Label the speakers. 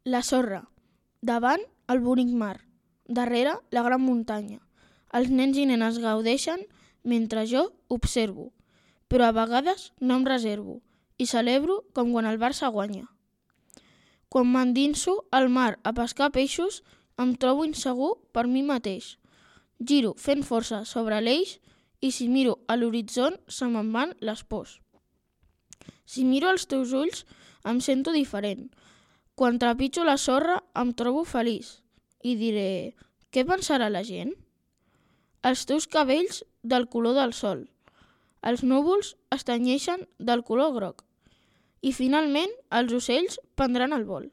Speaker 1: La sorra. Davant, el bonic mar. Darrere, la gran muntanya. Els nens i nenes gaudeixen mentre jo observo, però a vegades no em reservo i celebro com quan el Barça guanya. Quan m'endinso al mar a pescar peixos, em trobo insegur per mi mateix. Giro fent força sobre l'eix i si miro a l'horitzó se me'n van les pors. Si miro als teus ulls em sento diferent. Quan trepitjo la sorra em trobo feliç i diré, què pensarà la gent? Els teus cabells del color del sol. Els núvols es tenyeixen del color groc. I finalment els ocells prendran el vol.